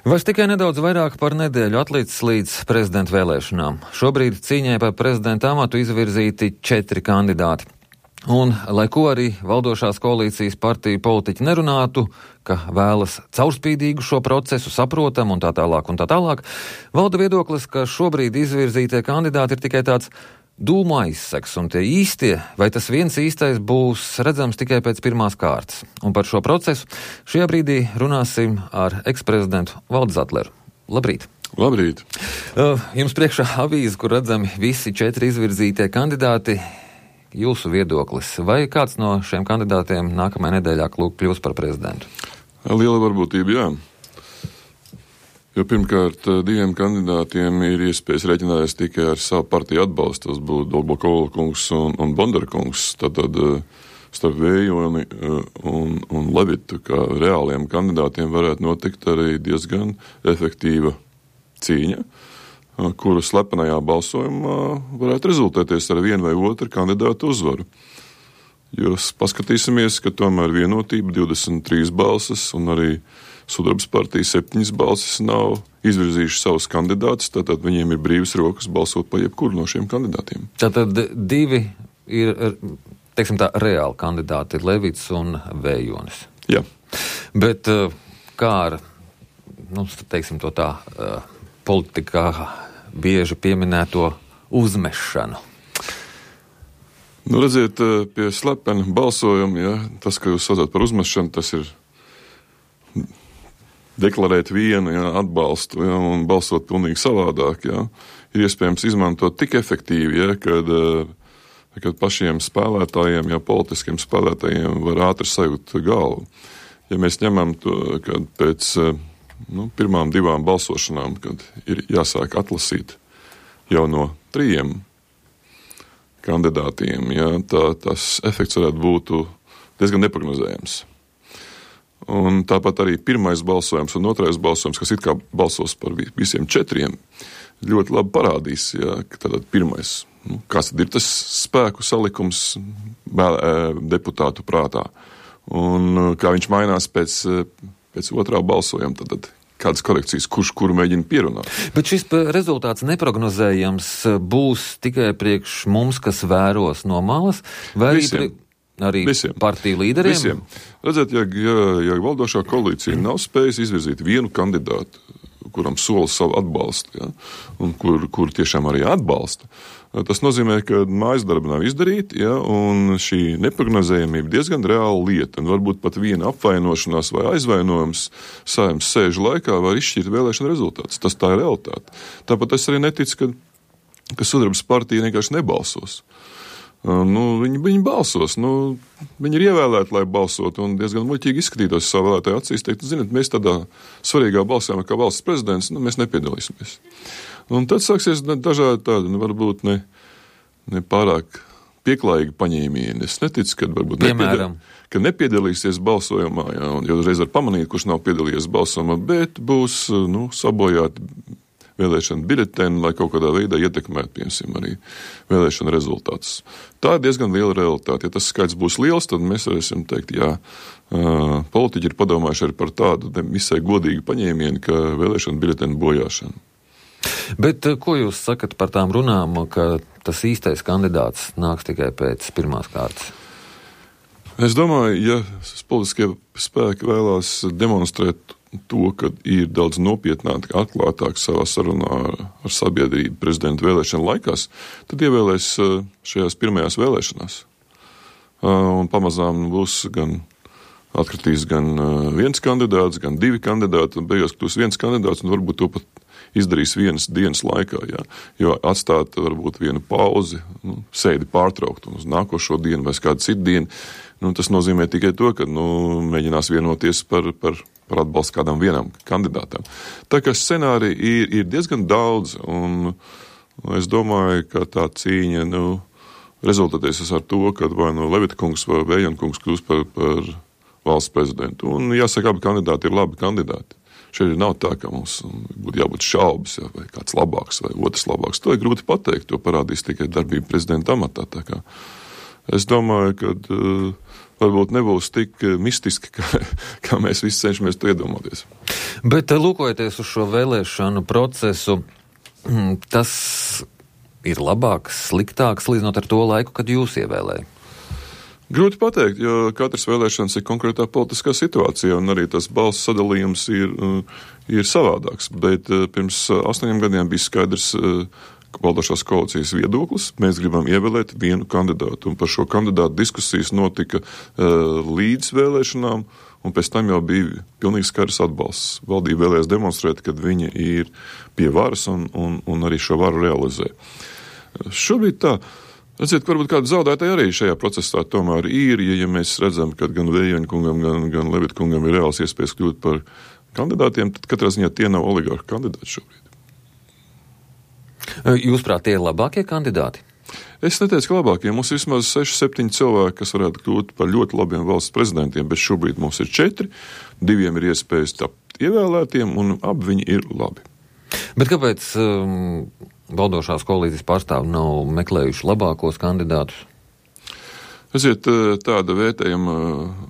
Vairs tikai nedaudz vairāk par nedēļu atlicis līdz prezidenta vēlēšanām. Šobrīd cīņai par prezidenta amatu izvirzīti 4 kandidāti. Un, lai ko arī valdošās koalīcijas partiju politiķi nerunātu, ka vēlas caurspīdīgu šo procesu, saprotam un tā tālāk, valda viedoklis, ka šobrīd izvirzītie kandidāti ir tikai tāds dūmu aizseks, un tie īstie, vai tas viens īstais būs redzams tikai pēc pirmās kārtas. Un par šo procesu šajā brīdī runāsim ar eksprezidentu Valdi Zatleru. Labrīt! Labrīt! Jums priekšā avīze, kur redzami visi 4 izvirzītie kandidāti. Jūsu viedoklis, vai kāds no šiem kandidātiem nākamajā nedēļā kļūs par prezidentu? Liela varbūtība, jā. Jo pirmkārt, 2 kandidātiem ir iespējas rēķināties tikai ar savu partiju atbalstu. Tas būtu Dolgokola kungs un Bondara kungs. Tad starp Vējoni un Levitu, kā reāliem kandidātiem, varētu notikt arī diezgan efektīva cīņa, kura slepenajā balsojumā varētu rezultēties ar vienu vai otru kandidātu uzvaru. Jo paskatīsimies, ka tomēr vienotība 23 balsas un arī Sudrabas partija 7 balsas nav izvirzījuši savus kandidātus, tātad viņiem ir brīvas rokas balsot par jebkuru no šiem kandidātiem. Tātad 2 ir, teiksim tā, reāli kandidāti, Levits un Vējonis. Jā. Bet kā ar, teiksim to tā, politikā bieži pieminēto uzmešanu? Redziet, pie slepena balsojuma, ja, tas, ka jūs saucat par uzmešanu, tas ir deklarēt vienu, ja, atbalstu, ja, un balsot pilnīgi savādāk, ja, ir iespējams izmantot tik efektīvi, ja, kad pašiem spēlētājiem, ja politiskiem spēlētājiem var ātri sajūt galvu. Ja mēs ņemam to, kad pēc pirmām 2 balsošanām, kad ir jāsāk atlasīt jau no 3 kandidātiem, ja, tas efekts varētu būt diezgan neprognozējams. Un tāpat arī pirmais balsojums un otrais balsojums, kas it kā balsos par visiem 4, ļoti labi parādīs, ja, ka tātad pirmais, kāds tad ir tas spēku salikums deputātu prātā, un kā viņš mainās pēc otrā balsojuma, tad kādas korekcijas, kurš kuru mēģina pierunāt. Bet šis rezultāts neprognozējams būs tikai priekš mums, kas vēros no malas, vai arī partiju līderiem? Visiem. Redzēt, ja valdošā koalīcija nav spējusi izvirzīt vienu kandidātu, kuram sola savu atbalstu, ja, un kur tiešām arī atbalsta, tas nozīmē, ka mājas darba nav izdarīta, ja, un šī neprognozējamība diezgan reāla lieta, un varbūt pat viena apvainošanās vai aizvainojums Saeimas sēžu laikā var izšķirt vēlēšana rezultātus. Tas tā ir realitāte. Tāpat es arī neticu, ka Sudrabas partija vienkārši nebalsos. Viņi balsos, viņi ir ievēlēti, lai balsotu, un diezgan muļķīgi izskatītos savu vēlētāju acīs, teikt, ziniet, mēs tādā svarīgā balsojumā kā valsts prezidents, mēs nepiedalīsimies. Un tad sāksies dažādi tādi, varbūt ne pārāk pieklājīgi paņēmieni. Es neticu, ka varbūt nepiedalīsies balsojumā, ja, un jau uzreiz var pamanīt, kurš nav piedalījies balsojumā, bet būs, sabojāti vēlēšana biļeteni, lai kaut kādā veidā ietekmētu, piemēram, arī vēlēšana rezultātus. Tā ir diezgan liela realitāte. Ja tas skaits būs liels, tad mēs varēsim teikt, jā, politiķi ir padomājuši arī par tādu visai godīgu paņēmienu, ka vēlēšana biļeteni bojāšana. Bet ko jūs sakat par tām runām, ka tas īstais kandidāts nāks tikai pēc pirmās kārtas? Es domāju, ja politiskie spēki vēlās demonstrēt to, ka ir daudz nopietnāk, atklātāk savā sarunā ar sabiedrību prezidenta vēlēšana laikās, tad ievēlēs šajās pirmajās vēlēšanās. Un pamazām būs atkritīs gan viens kandidāts, gan 2 kandidāti, un beigās kļūs viens kandidāts, un varbūt to pat izdarīs vienas dienas laikā, jā. Jo atstāt varbūt vienu pauzi, sēdi pārtraukt un uz nākošo dienu vai kādu citu dienu, tas nozīmē tikai to, ka mēģinās vienoties par atbalstu kādam vienam kandidātam. Tā kā scenāriji ir diezgan daudz, un es domāju, ka tā cīņa rezultēties ar to, ka vai Levita kungs vai Vējona kungs kļūs par valsts prezidentu. Un jāsaka, abi kandidāti ir labi kandidāti. Šeit nav tā, ka mums būtu jābūt šaubas, ja, vai kāds labāks vai otrs labāks. To ir grūti pateikt, to parādīs tikai darbība prezidenta amatā. Tā kā es domāju, ka varbūt nebūs tik mistiski, kā mēs visi cenšamies to iedomāties. Bet lūkojoties uz šo vēlēšanu procesu, tas ir labāks, sliktāks, līdzinot ar to laiku, kad jūs ievēlēja? Grūti pateikt, jo katras vēlēšanas ir konkrētā politiskā situācijā, un arī tas balsu sadalījums ir savādāks. Bet pirms 8 gadiem bija skaidrs valdošās koalīcijas viedoklis. Mēs gribam ievēlēt vienu kandidātu, un par šo kandidātu diskusijas notika līdz vēlēšanām, un pēc tam jau bija pilnīgi skaidrs atbalsts. Valdība vēlējās demonstrēt, ka viņi ir pie varas un arī šo varu realizē. Šobrīd tā. Redziet, varbūt kāda zaudētāja arī šajā procesā tomēr ir, ja mēs redzam, ka gan Vējoņa kungam, gan Levita kungam ir reāls iespējas kļūt par kandidātiem, tad katrā ziņā tie nav oligarhu kandidāti šobrīd. Jūsuprāt, tie ir labākie kandidāti? Es neteicu, ka labākie. Mums ir vismaz 6-7 cilvēki, kas varētu kļūt par ļoti labiem valsts prezidentiem, bet šobrīd mums ir 4, 2 ir iespējas tapt ievēlētiem, un abi viņi ir labi. Bet kāpēc valdošās koalīcijas pārstāvi nav meklējuši labākos kandidātus? Redziet, tāda vērtējuma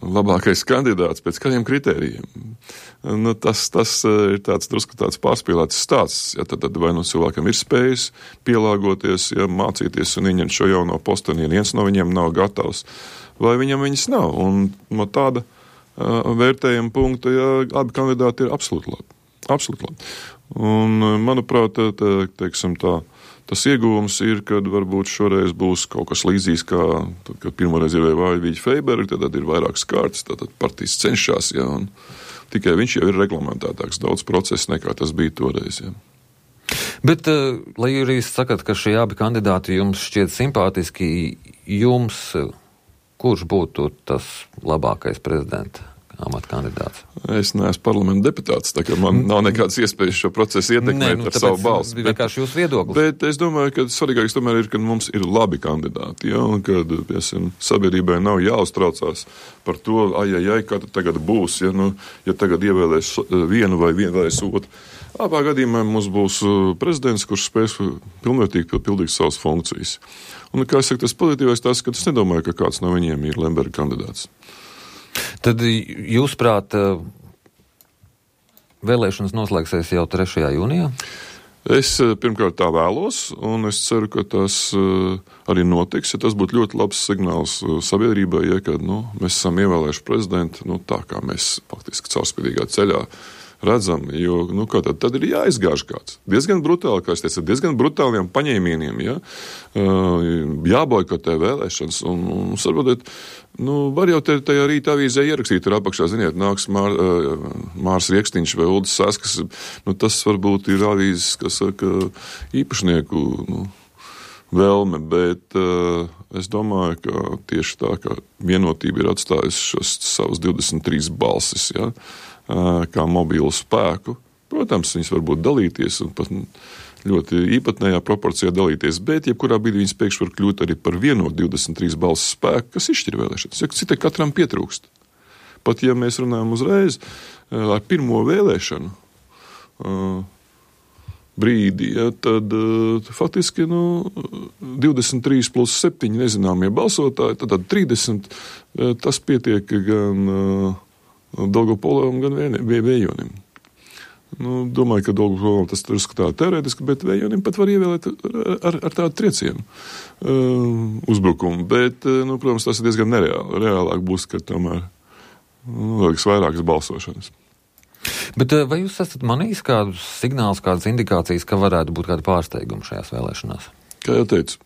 labākais kandidāts pēc kādiem kritērijiem. Nu, tas ir drusku tāds pārspīlēts stāsts. Ja, tad vai nu cilvēkam ir spējas pielāgoties, ja, mācīties un ieņemt šo jauno posteni, ja viens no viņiem nav gatavs, vai viņam viņas nav. Un no tāda vērtējuma punkta, ja, abi kandidāti ir absolūti labi. Absolūti labi. Un, manuprāt, teiksim tā, tas ieguvums ir, kad varbūt šoreiz būs kaut kas līdzīgs, kā tad, kad pirmoreiz ir Vāļvīģa Feiberga, tad ir vairākas kārtas, tad partijas cenšas, ja, un tikai viņš jau ir reglamentētāks daudz procesu nekā tas bija toreiz. Ja. Bet, lai jūs sakat, ka šie abi kandidāti jums šķiet simpātiski, jums kurš būtu tas labākais prezidenta amata kandidāts? Es neesmu parlamenta deputāts, tā kā man nav nekādas iespējas šo procesu ietekmēt ar savu balsi. Vienkārši jūsu viedoklis. Bet es domāju, ka svarīgākais tomēr ir, ka mums ir labi kandidāti, ja, un kad, piemēram, sabiedrībai nav jāuztraucās par to, kā tad tagad būs, ja, nu, ja tagad ievēlēs vienu vai vienvēlēs otru. Abā gadījumā mums būs prezidents, kurš spēs pilnvērtīgi pildīt savas funkcijas. Un, kā es saku, tas pozitīvais tas, ka es nedomāju, ka kāds no viņiem ir Lemberga kandidāts. Tad jūsuprāt, vēlēšanas noslēgsies jau 3. jūnijā? Es pirmkārt tā vēlos, un es ceru, ka tas arī notiks. Ja tas būtu ļoti labs signāls sabiedrībai, ja kad mēs esam ievēlējuši prezidentu tā, kā mēs faktiski caurspīdīgā ceļā redzam, jo tad ir jāizgāž kāds. Diezgan brutāli, kā es teicu, diezgan brutāliem paņēmieniem, ja? Jāboikotē vēlēšanas, un varbūt, var jau tajā rīta avīzē ierakstīt, tur apakšā, ziniet, nāks Mārs Riekstiņš vai Uldis Saskas, tas varbūt ir avīzes, kas saka īpašnieku, vēlme, bet es domāju, ka tieši tā, ka vienotība ir atstājusi šos savus 23 balsis, ja? Kā mobīlu spēku. Protams, viņas var būt dalīties un pat ļoti īpatnējā proporcijā dalīties, bet jebkurā brīdī viņas pēkšņi var kļūt arī par vienotu 23 balsu spēku, kas izšķir vēlēšanas. Ja citai katram pietrūkst. Pat ja mēs runājam uzreiz ar pirmo vēlēšanu brīdī, ja, tad faktiski 23 plus 7 nezināmie balsotāji, tad 30 tas pietiek gan Daugavpolam, gan Vējonim. Domāju, ka Daugavpolam tas ir skatā teorētiski, bet Vējonim pat var ievēlēt ar tādu triecienu uzbrukumu. Bet, protams, tas ir diezgan nereāli. Reālāk būs, ka tomēr vajag vairākas balsošanas. Bet vai jūs esat manījis kādus signālus, kādas indikācijas, ka varētu būt kāda pārsteiguma šajās vēlēšanās? Kā jau teicu,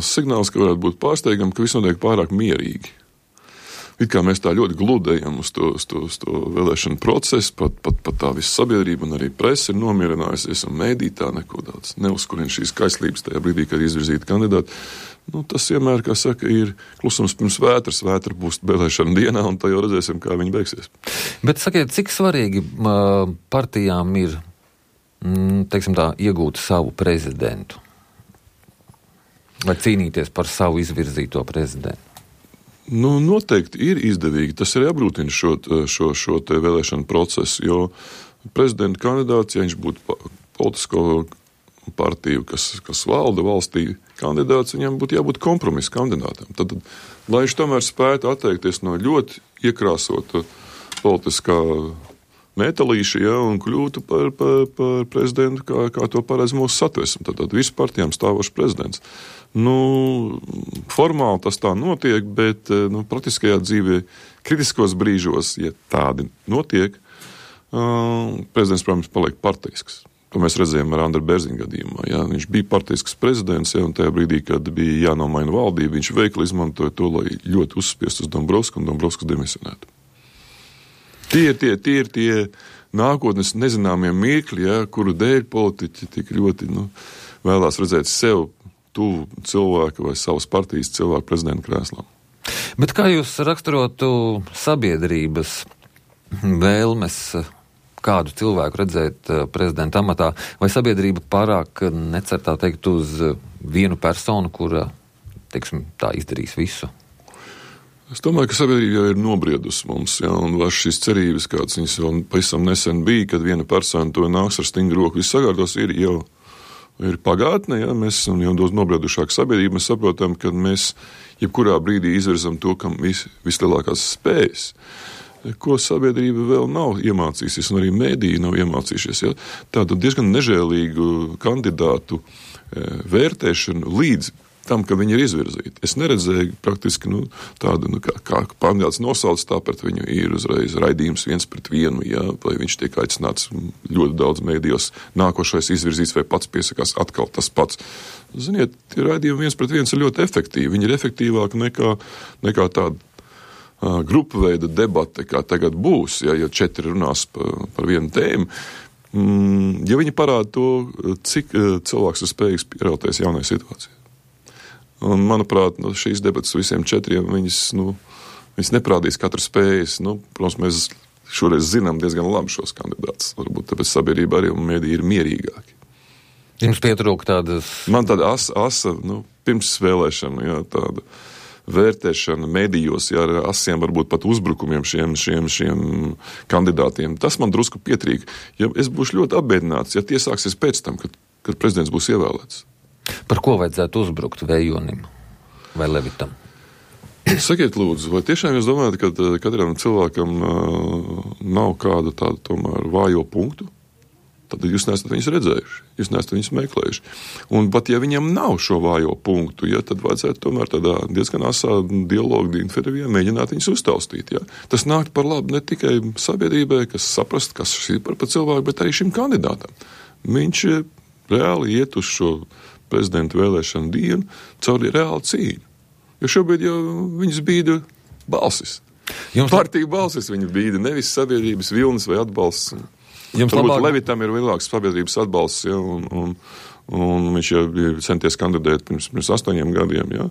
signāls, ka varētu būt pārsteigumi, ka viss notiek pārāk mierīgi. It kā mēs tā ļoti gludējam uz to vēlēšanu procesu, pat tā visa sabiedrība un arī presa ir nomierinājusies, un mēdī tā neko daudz neuzkurina šīs kaislības tajā brīdī, kad izvirzīti kandidāti. Tas vienmēr, kā saka, ir klusums pirms vētras. Vētra būs vēlēšana dienā, un tā jau redzēsim, kā viņi beigsies. Bet sakiet, cik svarīgi partijām ir, teiksim tā, iegūt savu prezidentu? Vai cīnīties par savu izvirzīto prezidentu? Noteikti ir izdevīgi. Tas arī apgrūtina šo te vēlēšanu procesu, jo prezidenta kandidāts, ja viņš būtu politisko partiju, kas valda valstī, kandidāts, viņam būtu jābūt kompromisa kandidātam. Tad, lai viņš tomēr spētu atteikties no ļoti iekrāsota politiskā metālīša, ja, un kļūtu par prezidentu, kā to paredz mūsu satversme. Tad visu partijām stāvošs prezidents. Formāli tas tā notiek, bet praktiskajā dzīvē kritiskos brīžos, ja tādi notiek, prezidents, protams, paliek partijisks. To mēs redzējām ar Andru Bērziņu gadījumā. Ja. Viņš bija partijisks prezidents, ja, un tajā brīdī, kad bija jānomaina valdība, viņš veikli izmantoja to, lai ļoti uzspiestu uz Dombrovsku un Dombrovsku demisionētu. Tie ir tie nākotnes nezināmie mirkļi, ja, kuru dēļ politiķi tik ļoti vēlās redzēt sev tuvu cilvēku vai savas partijas cilvēku prezidenta krēslām. Bet kā jūs raksturotu sabiedrības vēlmes kādu cilvēku redzēt prezidenta amatā, vai sabiedrība pārāk necer tā teikt uz vienu personu, kura, teiksim, tā izdarīs visu? Es domāju, ka sabiedrība jau ir nobriedusi mums, ja, un šīs cerības, kādas viņas vēl pavisam nesen bija, kad viena persona to nāks ar stingru roku, viss sakārtos, ir pagātne, ja, mēs esam jau daudz nobriedušāka sabiedrība, mēs saprotam, ka mēs jebkurā brīdī izvirzam to, kam vislielākās spējas, ko sabiedrība vēl nav iemācījusies, un arī mēdīji nav iemācījušies. Ja. Tādu diezgan nežēlīgu kandidātu vērtēšanu līdz tam, ka viņi ir izvirzīti. Es neredzēju praktiski tādu, kā kandidāts nosauc, tāpēc viņu ir uzreiz raidījums 1-1, ja, vai viņš tiek aicināts ļoti daudz mēdījos, nākošais izvirzīts vai pats piesakās atkal tas pats. Ziniet, tie raidījumi 1-1 ir ļoti efektīvi. Viņi ir efektīvāki nekā tāda grupu veida debate, kā tagad būs, ja 4 runās par vienu tēmu. Ja viņi parāda to, cik cilvēks ir spējīgs pierauties jaunai situācijai. Un, manuprāt, šīs debatas visiem 4, viņas neprādīs katru spējas. Protams, mēs šoreiz zinām diezgan labi šos kandidātus. Varbūt tāpēc sabiedrība arī un mēdī ir mierīgāki. Jums pietrūk tādas... Man tāda asa pirms vēlēšana, jā, tāda vērtēšana medijos, ja ar asiem varbūt pat uzbrukumiem šiem kandidātiem. Tas man drusku pietrīk. Ja es būšu ļoti apbēdināts, ja tie sāksies pēc tam, kad prezidents būs ievēlēts. Par ko vajadzētu uzbrukt Vējonim vai Levitam? Sakiet, lūdzu, vai tiešām jūs domājat, ka katram cilvēkam nav kāda tāda tomēr vājo punktu? Tad jūs neesat viņus redzējuši, jūs neesat viņus meklējuši. Un pat ja viņam nav šo vājo punktu, ja, tad vajadzētu tomēr tādā diezgan asā dialogu intervijā mēģināt viņus uztaustīt. Ja. Tas nākt par labu ne tikai sabiedrībai, kas saprast, kas šis ir par cilvēku, bet arī šim kandidātam. Viņš reāli iet uz šo prezidenta vēlēšanu dienu caur reālu cīņu. Jo šobrīd jau viņas bīda balsis. Partija balsis viņa bīda, nevis sabiedrības vilnis vai atbalsts. Varbūt Levitam ir lielāks sabiedrības atbalsts, ja, un viņš jau ir centies kandidēt pirms 8 gadiem. Ja.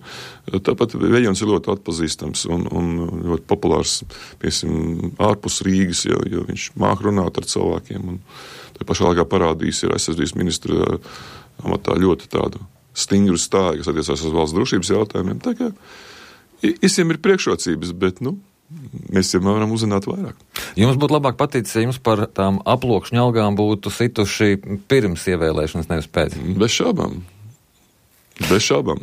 Tāpat Vējons ir ļoti atpazīstams un ļoti populārs, piemēram, ārpus Rīgas, jo viņš māk runāt ar cilvēkiem. Un tā pašā laikā parādījis ir aizsardzības ministra amatā ļoti tādu stingru stāju, kas attiecās uz valsts drošības jautājumiem. Tā kā visiem ir priekšrocības, bet, mēs jau varam uzzināt vairāk. Jums būtu labāk paticis, ja jums par tām aploksņa algām būtu situši pirms ievēlēšanas, nevis pēc? Bez šābām.